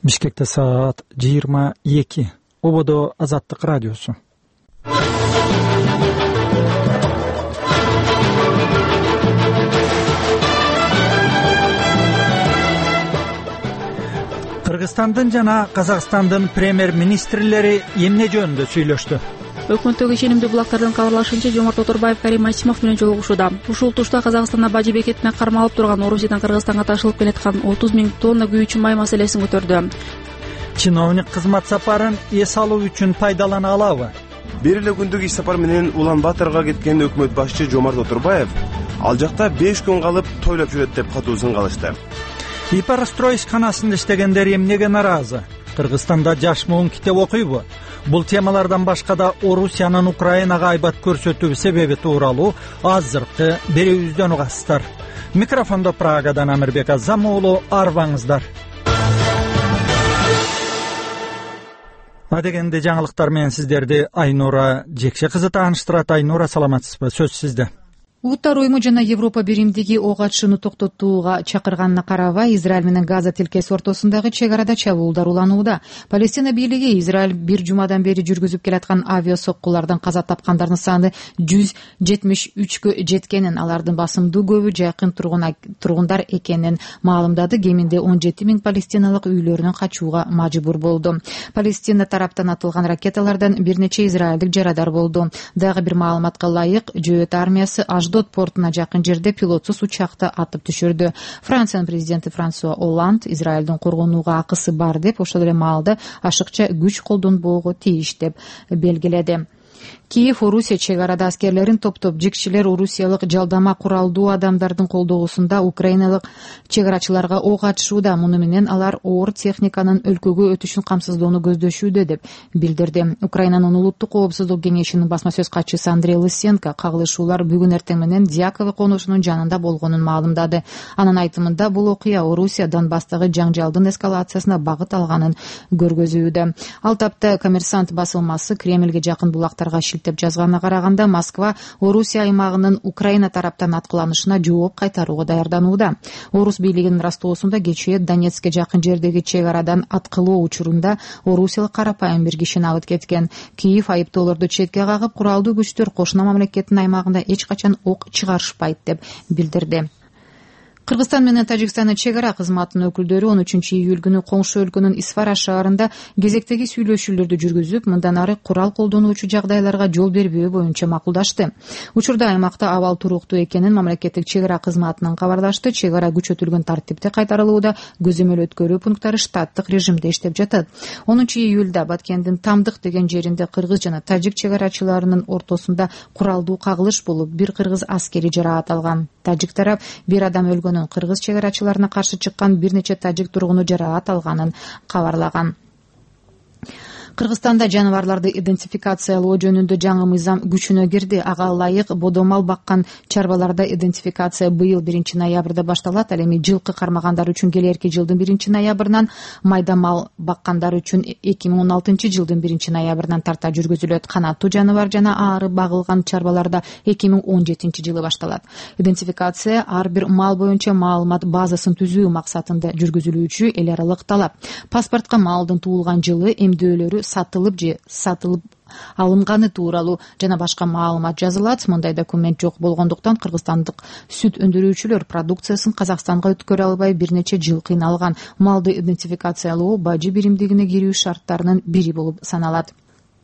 Бишкекте саат 22. Ободо Азаттык радиосу. Кыргызстандын жана Казакстандын премьер-министрлери эмне жөнүндө сүйлөштү? Өкмөттөгү ишенимдүү булактардын кабарлашынча, Жомарт Оторбаев Карим Масимов менен жолугушууда. Ушул тушта Казакстанда бажы бекетине кармалып турган Орусиядан Кыргызстанга ташылып келаткан 30 000 тонна күйүүчү май маселесин көтөрдү. Чиновник кызмат сапарын эс алуу үчүн пайдалана алабы? Бир эле күндүк иш сапар менен Улан-Баторго кеткен өкмөт башчы Жомарт Оторбаев ал жакта 5 күн калып тойлоп жүрөт деп катуусун калышты. Ипарстрой ишканасында иштегендер эмнеге наразы? Кыргызстанда жаш муун китеп окуйбу? Бул темалардан башка да Орусиянын Украинага айбат көрсөтүү себеби тууралуу азыркы берүүбүздөн угасыздар. Микрофондо Прагадан Амирбек Азамуулу, арбаңыздар. Адегенде жаңылыктар менен сиздерди Айнура Жекше кызы тааныштырат. Айнура, саламатсызбы? Сөз сизде. Улуттар уюму жана Европа биримдиги ок атышууну токтотууга чакырганына карабай, Израиль менен Газа тилкеси ортосундагы чек арада чабуулдар уланууда. Палестина бийлиги Израиль бир жумадан бери жүргүзүп келаткан авиасоккулардан каза тапкандардын саны 173кө жеткенин, алардын басымдуу көбү жакын тургундар экенин маалымдады. Кеминде 17 000 палестиналык үйлөрүнөн качууга мажбур болду. Палестина тараптан атылган ракеталардан бир нече израилдик жарадар болду. Дагы бир маалыматка ылайык, Жөөт армиясы Аждот портуна жакын жерде пилотсуз учакты атып түшүрдү. Франциянын президенти Франсуа Олланд Израилдин коргонууга акысы бар деп, ошол эле маалда ашыкча күч колдонбоого тийиш деп белгиледи. Киев Орусия чек арада аскерлерин топтоп, жикчилер орусиялык жалдама куралдуу адамдардын колдоосунда украиналык чек арачыларга ок атышууда. Муну менен алар оор техниканын өлкөгө өтүшүн камсыздоону көздөшүүдө деп билдирди. Украинанын улуттук коопсуздук кеңешинин басма сөз катчысы Андрей Лысенко кагылышуулар бүгүн эртең менен Дьяково конушунун жанында болгонун маалымдады. Анын айтымында бул окуя Орусия Донбасстагы жаңжалдын эскалациясына багыт алганын көргөзүүдө. Ал тапта Коммерсант басылмасы Кремльге жакын булактарга шилтеп жазганына караганда, Москва Орусия аймагынын Украина тараптан аткыланышына жооп кайтарууга даярданууда. Орус бийлигинин растоосунда кечээ Донецкке жакын жердеги чек арадан аткылоо учурунда орусиялык карапайым бир кишини алып кеткен. Киев айыптоолорду четке кагып, куралдуу күчтөр кошуна мамлекеттин аймагында эч качан ок чыгарышпайт деп билдирди. Кыргызстан менен Тажикстандын чек ара кызматынын өкүлдөрү 13 июль күнү коңшу өлкөнүн Исфара шаарында кезектеги сүйлөшүүлөрдү жүргүзүп, мындан ары курал колдонуучу жагдайларга жол бербөө боюнча макулдашты. Учурда аймакта абал туруктуу экенин мамлекеттик чек ара кызматынан кабарлашты. Чек ара күчөтүлгөн тартипте кайтарылууда, көзөмөл өткөрүү пункттары штаттык режимде иштеп жатат. 10 июлда Баткендин Тамдык деген жеринде кыргыз жана тажик чек арачыларынын ортосунда куралдуу кагылыш болуп, бир кыргыз аскери жараат алган. Тажик тарап бир адам өлгөнүн, кыргыз чек арачыларына каршы чыккан бир нече тажик тургуну жараат алганын кабарлаган. Кыргызстанда жаныбарларды идентификациялоо жөнүндө жаңы мыйзам күчүнө кирди. Ага ылайык бодомал баккан чарбаларда идентификация быйыл 1 ноябрда башталат. Ал эми жылкы кармагандар үчүн келерки жылдын 1 ноябрынан, майдамал баккандар үчүн 2016 жылдын 1 ноябрынан тарта жүргүзүлөт. Канаттуу жаныбар жана аары багылган чарбаларда 2017 жылы башталат. Идентификация ар бир мал боюнча маалымат базасын түзүү максатында жүргүзүлүүчү эл аралык талап. Паспортко малдын туулган жылы, эмдөөлөрү сатылып же сатылып алынганы тууралуу жана башка маалымат жазылат. Мындай документ жок болгондуктан кыргызстандык сүт өндүрүүчүлөр продукциясын Казакстанга өткөрө албай бир нече жыл кыйналган. Малды идентификациялоо бажы биримдигине кирүү шарттарынын бири болуп саналат.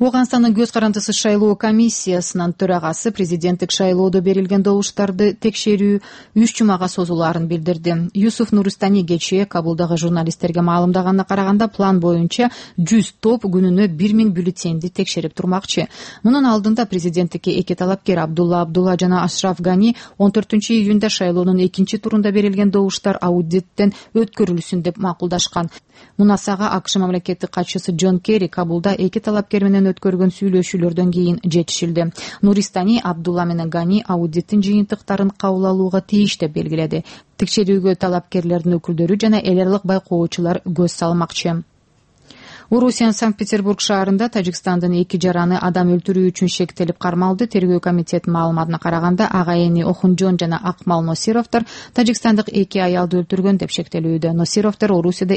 Ооганстандын көз карандысыз шайлоо комиссиясынын төрагасы президенттик шайлоодо берилген добуштарды текшерүү 3 жумага созулаарын билдирди. Юсуф Нуристани кечээ Кабулдагы журналисттерге маалымдаганына караганда, план боюнча 100 топ күнүнө 1000 бюллетенди текшерип турмакчы. Мунун алдында президенттикке эки талапкер Абдулла Абдулла жана Ашраф Гани 14 июнда шайлоонун экинчи турунда берилген добуштар аудиттен өткөрүлсүн деп макулдашкан. Мунасага АКШ мамлекеттик катчысы Джон Керри Кабулда эки талапкер менен өткөргөн сүйлөшүүлөрдөн кийин жетишилди. Нуристани Абдулла менен Гани аудиттин жыйынтыктарын кабыл алууга тийиш деп белгиледи. Текшерүүгө талапкерлердин өкүлдөрү жана эл аралык байкоочулар көз салмакчы. Орусиянын Санкт-Петербург шаарында Тажикстандын 2 жараны адам өлтүрүү үчүн шектелип кармалды. Тергөө комитетинин маалыматына караганда, ага эни Охунжон жана Акмал Носировдор Тажикстандык 2 аялды өлтүргөн деп шектелүүдө. Носировдор Орусияда